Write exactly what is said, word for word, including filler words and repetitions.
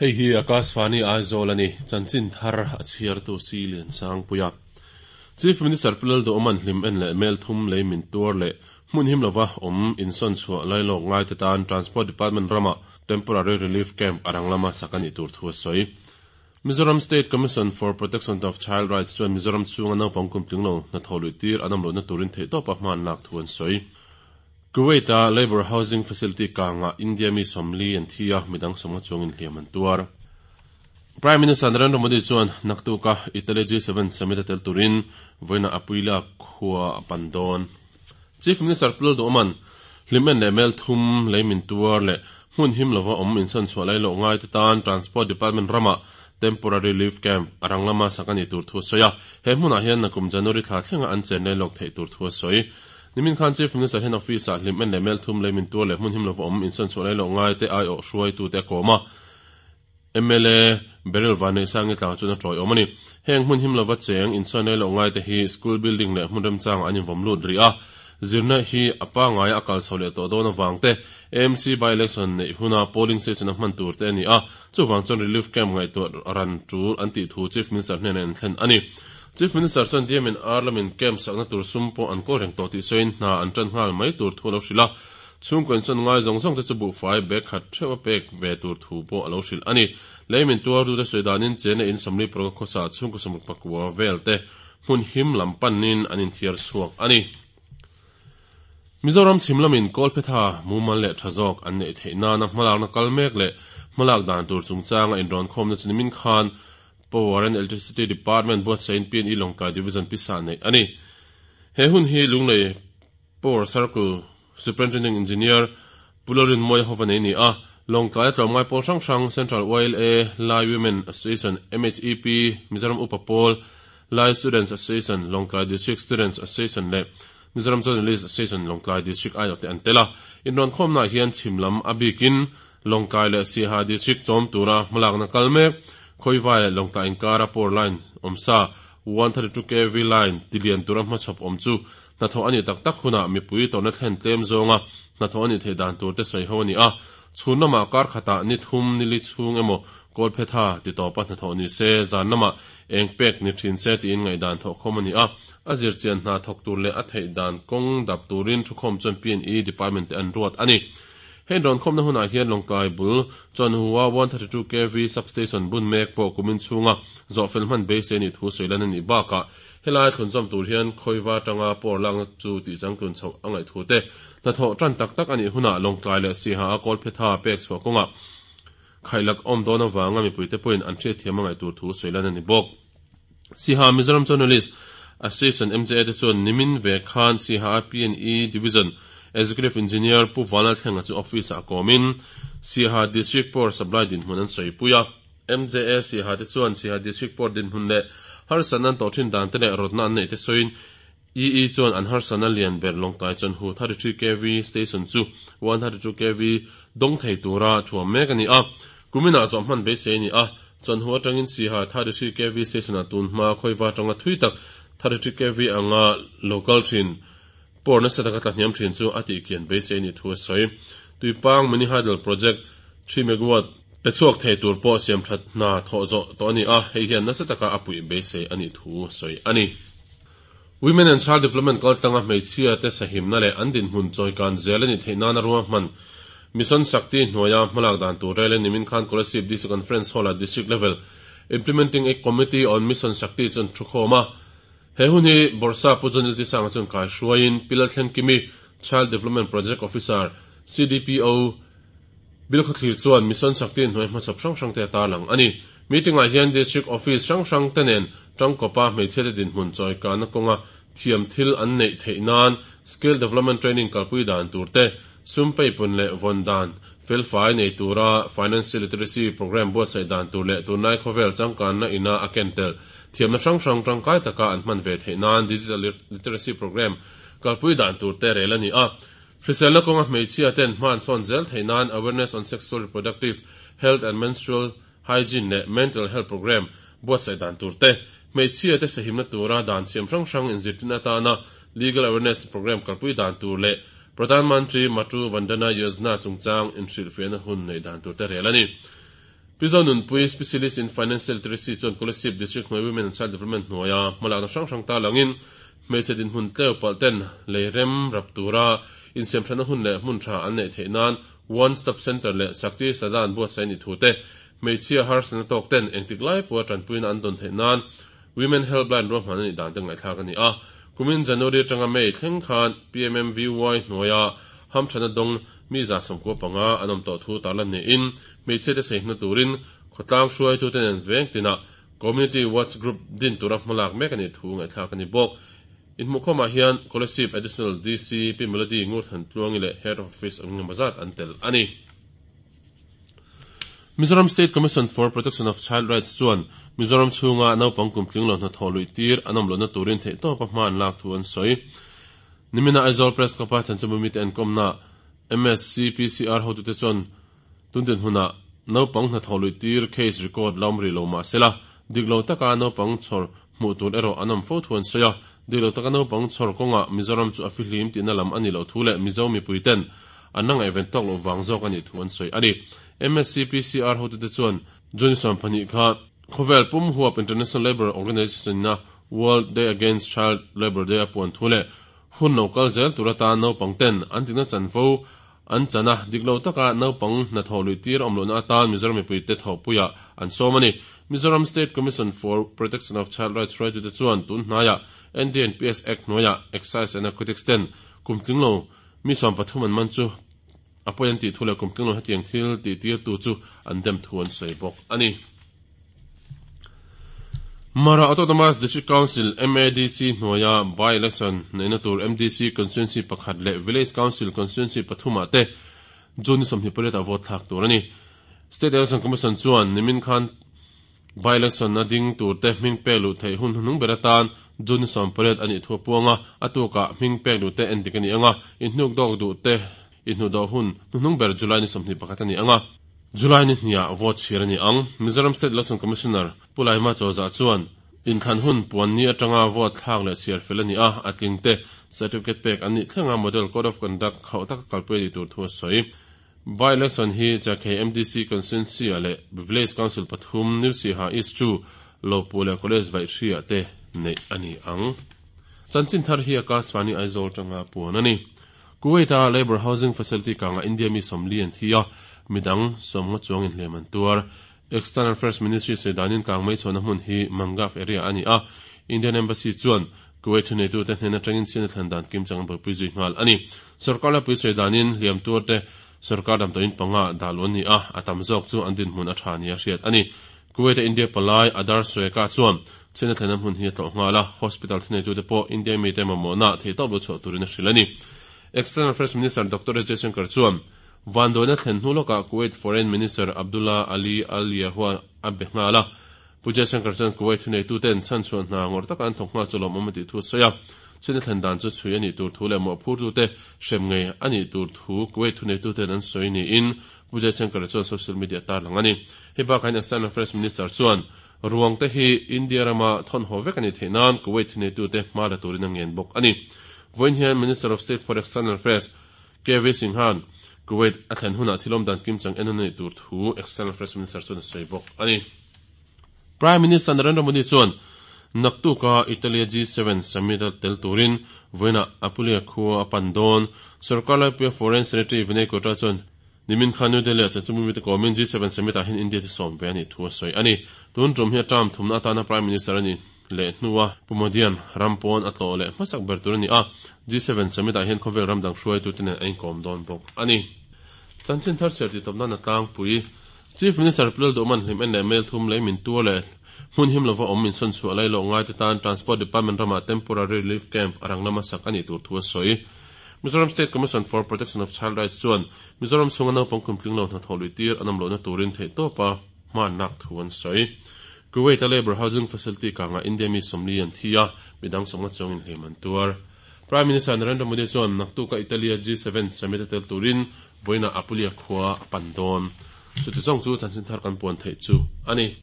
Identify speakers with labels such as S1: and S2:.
S1: Hei hi Akashvani Aizawl ani chanchin thar a chhiartu si lian sang puia. Chief Minister Pulal do oman hlim en le mel thum lei min tuar le hmun him lova om inson chhuah lailawk ngai te tan Transport Department rama Temporary Relief Camp arang lama sakani tur thu a sawi. Mizoram State Commission for Protection of Child Rights chuan Mizoram chhunga naupang kum tling lo hnathawh luih tir an awm lohna turin theihtawpa hman lak thu an sawi. Kuwait a Labour Housing Facility kanga India mi sawmli an thi a, midang sawmnga chuangin hliam an tuar. Prime Minister Narendra Modi chuan naktuka Italy G seven summit a tel turin vawiinah Apuila khua a pan dawn. Chief Minister Pulal Duhman hlimen leh mel thum lei min tuar leh hmun him lova awm insawn chhuah lai loh ngai te tan Transport Department rama Temporary Relief Camp arang lama sak ani tur thu a sawi a. He hmunah hian nakum January thla thlenga an chen lai lawk theih tur thu a sawi. Nimin khan Chief Minister hian office ah hlimen leh mel thum lei min tuar leh hmun him lova awm insawn chhuah lai loh ngai te aiawh hruaitu te a kawm a. M L A Beryl Vanneihsangi tlang chuan a tawi awm a ni. Heng hmun him lova cheng insawn lai loh ngai te hi school building leh hmun remchangah an invawm lut rih a. Zirna hi a pangaia a kal chho leh tawh dawn avang te A M C by-election neih huna polling station a hman tur te a ni a. Chuvang chuan relief camp ngaihtuah ran tul an tih thu Chief Minister hnenah an thlen a ni. Chief Minister chuan D M in R lamin camp sakna tur sum pawh an kawl reng tawh tih sawiin hna an tan nghal mai tur thu a lo hrilh a. Chhungkaw insawn ngai zawng zawng te chu buhfai bag khat theuh a pek ve tur thu pawh a lo hrilh a ni. Lei min tuar tu te sawi danin chena in sawmli paruk a khawsa chhungkaw sawmruk pakua vel te hmun him lam panin an inthiar chhuak a ni. Mizoram chhim lamin Kawlphetha mumal leh tha zawk an neih theih nana hmalakna kal mek leh hmalak dan tur chungchanga inrawn khawmna chu nimin khan Power and Electricity Department buatsain P and E Lawngtlai Division pisa neih a ni. He hun hi Lunglei Power Circle Superintending Engineer Pu Lalrin Mawia hova nei ni a. Lawngtlai a tlawmngai pawl hrang hrang Central Y L A, Lai Women Association, M H E P, Mizoram Upa Pawl, Lai Students Association, Lawngtlai District Students Association leh Mizoram Journalist Association Lawngtlai District aiawh te an tel a. Inrawn khawmnaah hian chhim lam a bikin Lawngtlai leh Siaha District chawm tura hmalakna kal mek, Khawivai leh Lawngtlai inkara power line awmsa one thirty two K V line tilian tura hmachhawp awm chu hnathawh a nih tak tak hunah mipui tawrhna thlen tlem zawnga hnathawh a nih theih dan tur te sawi ho a ni a. Chhun lamah kar khatah ni thum ni li chhung emaw Kawlphetha ti tawpa hnathawh ni se, zan lamah eng pek ni thin se tiin ngaihdan thawhkhawm a ni a. A zirchian hna thawk tur leh a theih dan kawng dap turin thukhawm chuan P and E Department te an ruat a ni. Heng rawnkhawmna hunah hian Lawngtlai bul chuan Hua one thirty two K V Substation bun mek pawh kumin chhunga zawhfel hman beisei nih thu sawi lan a nih bakah helai thlunzawm tur hian khawiva tanga power lakna chu tihchangtlun chhoh a ngaih thu te hnathawh tan tak tak a nih hunah Lawngtlai leh Siaha a Kawlphetha pek chhuah kawngah khailak awm dawn avanga mipuite pawhin an hriatthiam a ngaih tur thu sawi lan a ni bawk. Siaha Mizoram Journalist Association M J A te chuan nimin ve khan Siaha P and E Division Executive Engineer Pu Vanlal Thlenga chu office ah kawmin Siaha District Power Supply dinhmun an sawipui a. M J A Siaha te chuan Siaha District Power dinhmun leh harsatna an tawh thin dan te leh rawtna an neih te sawiin E E chuan an harsatna lian ber Lawngtlai chuan hu thirty three K V station chu one thirty two K V dawng thei tura thuam mek a ni a. Kuminah zawh hman beisei a ni a, chuan hu atangin Siaha thirty three K V station ah tun hma khawiva atanga thui tak thirty three K V anga local thin power nasa taka tla hniam thin chu a tihkian beisei a nih thu a sawi. Tuipang Mini Hydel Project three megawatt pe chhuak thei tur pawh siam that hna thawh zawh tawh a ni a, hei hian nasa taka a puih beisei a nih thu sawi a ni. Women and Child Development kaltlanga hmeichhia te sahimna leh an dinhmun chawikan zel a nih theih nana ruang hman Mission Shakti hnuaia hmalak dan tur rel in nimin khan Kolasib D C Conference Hall ah District Level Implementing A Committee on Mission Shakti chuan thu khawm a. He hun hi Bawrhsa Pu John Ltisanga chuan kai hruaiin Pi Lalthlenkimi Child Development Project Officer, C D P O, Bilkhawthlir chuan Mission Shakti hnuai hmachhawp hrang hrang te a tarlang a ni. Meeting ah hian District Office hrang hrang te nen tangkawpa hmeichhia te dinhmun chawikana kawnga thiam thil an neih theih nan Skill Development Training kalpui dan tur te, sum peipun leh vawn dan felfai nei tura Financial Literacy Program buatsaih dan tur leh tunlai khawvel changkanna ina a ken tel thiamna hrang hrang tangkai taka an hman ve theih nan Digital Literacy Program kalpui dan tur te rel a ni a. Hriselna kawnga hmeichhia ten hman sawn zel theih nan Awareness on Sexual Reproductive Health and Menstrual Hygiene leh Mental Health Program buatsaih dan tur te, hmeichhia te sahimna tura dan siam hrang hrang inzirtin atana Legal Awareness Program kalpui dan tur leh Pradhan Mantri Matru Vandana Yojana chungchang inhrilhfiahna hun neih dan tur te rel a ni. Pi Zonunpuii, Specialist in Financial Literacy chuan Kolasib District hnuai Women and Child Development hnuaia hmalakna hrang hrang tarlangin hmeichhe dinhmun tleu palh ten lei rem rap tura insiamthatna hun leh hmun tha an neih theih nan One Stop Centre leh Shakti Sadan buatsaih a nih thu te, hmeichhia harsatna tawk ten engtik lai pawha tanpuina an dawn theih nan Women Helpline ruahman a nih dan te ngaihthlak a ni a. Kumin January atanga May thleng khan PMMVY hnuaia hamthatna dawng mi za sawmkua panga an awm tawh thu tarlan niin hmeichhia te saihna turin khawtlang hruaitute nen veng tinah Community Watch Group din tura hmalak mek a nih thu ngaihthlak a ni bawk. Inhmuhkhawmah hian Kolasib Additional DC Pi Melody Ngurthantluangi leh Head of Office ang engemaw zat an tel a ni. Mizoram State Commission for Protection of Child Rights chuan Mizoram chhunga naupang kum tling lo hnathawh luih tir an awm lohna turin theihtawpa hma an lak thu an sawi. Nimina Aizawl Press Club-a chanchinbu mite enkawmna MSCPCR hotute chuan tun dinhmunah naupang hnathawh luih tir case record la awm rih lo mah sela, dik lo taka naupang chhawr hmuh tur erawh an awm fo thu an sawi a. Dik lo taka naupang chhawr kawngah Mizoram chu a fihlim tihna lam a nih loh thu leh Mizo mipuiten an la ngaihven tawk loh vang zawk a nih thu an sawi a ni. MSCPCR hotute chuan June sawm pahnih kha khawvel pum huap International Labour Organization-ina World Day Against Child Labour Day a puan thu leh hun lo kal zel tur atan naupang ten an dikna chanvo an chan a, dik lo taka naupang hnathawh luih tir awm lohna atan Mizoram mipuite thawhpuiah an sawm a ni. Mizoram State Commission for Protection of Child Rights hruaitute chuan tun hnaiah NDNPS Act hnuaiah Excise and Narcotics ten kum tling lo Mi sawm pathum an man chu a pawi an tih thu leh kum tlinglo hetiang thil tih tirtu chu an dem thu an sawi bawk a ni. Mara Autonomous District Council, MADC, hnuaia by-election neihna tur MDC Constituency pakhat leh Village Council Constituency pathumah te June ni sawmhnih pariatah vote thlak tur a ni. State Election Commission chuan nimin khan By-election a ding turte hming pek luh theih hun hnuhnung ber atan June ni sawm pariat a nih thu a puang a, a tukah hming pek luhte en dik a ni ang a, inhnuk dawk duhte inhnuhdawh hun hnuhnung ber July ni sawmhnih pakhat a ni ang a, July ni hniah vote chhir a ni ang. Mizoram State Election Commissioner Pu Laima Chawza chuan inthlan hun puan ni atanga vote thlak leh chhiar fel a ni a, a tlingte certificate pek an nih thlenga Model Code of Conduct khauh taka kalpui a nih tur thu a sawi. By-election hi Chakhei MDC Constituency-ah leh Village Council pathum, New Siha East two, Lopu leh College Vaihri-ah te neih a ni ang. Chanchin thar hi Akashvani Aizawl tanga puan a ni. Kuwait-a Labour Housing Facility kangah India mi sawmli an thi a, midang sawmnga chuangin hlem an tuar. External Affairs Ministry sawi danin kang mai chhuahna hmun hi Mangaf area a ni a, Indian Embassy chuan Kuwait thuneitute hnen atangin chhiatna thlan dan kimchang an buaipui zui nghal a ni. Sorkar laipui sawi danin hliam tuarte sorkar damdawiin panga dah luh an ni a, a tam zawk chu an dinhmun a tha nia hriat a ni. Kuwait-a India palai Adarsh Sweka chuan chhiatna thlenna hmun hi a tlawh nghal a, hospital thuneitute pawh India mite mamawhna theihtawp lo chhuah turin a hrilh a ni. External Affairs Minister Doctor S Jaishankar chuan vanduaina thlen hnu lawkah Kuwait Foreign Minister Abdullah Ali Al-Yahua a be nghal a, Pu Jaishankar chuan Kuwait thuneituten chhanchhuah hna ngawrh taka an thawk nghal chu lawmawm a tih thu a sawi a, chhina thlen dan chu chhui a nih tur thu leh mawhphurtute hrem ngei a nih tur thu Kuwait thuneituten an sawi niin Pu Jaishankar chuan social media a tarlang a ni. Hei bakah hian External Affairs Minister chuan ruangte hi India rama thawn haw vek a nih theih nan Kuwait thuneitute hma la turin a ngen bawk a ni. Vawiin hian Minister of State for External Affairs KV Singh-a'n Kuwait a thlen hunah thil awmdan kimchang en a nih tur thu External Affairs Minister chuan a sawi bawk a ni. Prime Minister Narendra Modi chuan naktuka Italy-a G seven summit a tel turin vawiinah Apulia khua a pan dawn. Sorkar laipuia Foreign Secretary Vinay Kwatra chuan nimin khan New Delhi-ah chanchinbu mite kawmin G seven summit-ah hian India chu sawm ve a nih thu a sawi a ni. Tun tum hi a term thumna atana Prime Minister a ni leh hnua Pu Modi-a'n ram pawn a tlawh leh hmasak ber tur a ni a, G seven summit-ah hian khawvel ram dang hruaitute nen a inkawm dawn bawk a ni. Chanchin thar chhiar tih tawp nan a tlangpui. Chief Minister Pu Lalduhman hlim en leh mail thum lei min tuar leh hmun him lova awm insawn chhuah lai lawh ngaite tan Transport Department ramah Temporary Relief Camp a rang lama sak a nih tur thu a sawi. Mizoram State Commission for Protection of Child Rights chuan Mizoram chhunga naupang kum tling lo hnathawh luih tir an awm lohna turin theihtawpa hmannak thu an sawi. Kuwait-a Labour Housing Facility kangah India mi sawmli an thi a, midang sawmnga chuangin hlim an tuar. Prime Minister Narendra Modi chuan naktuka Italy-a G seven summit a tel turin vawiinah Apulia khua a pan dawn. Chuti zawng chu chanchin thar kan puan theih chu a ni.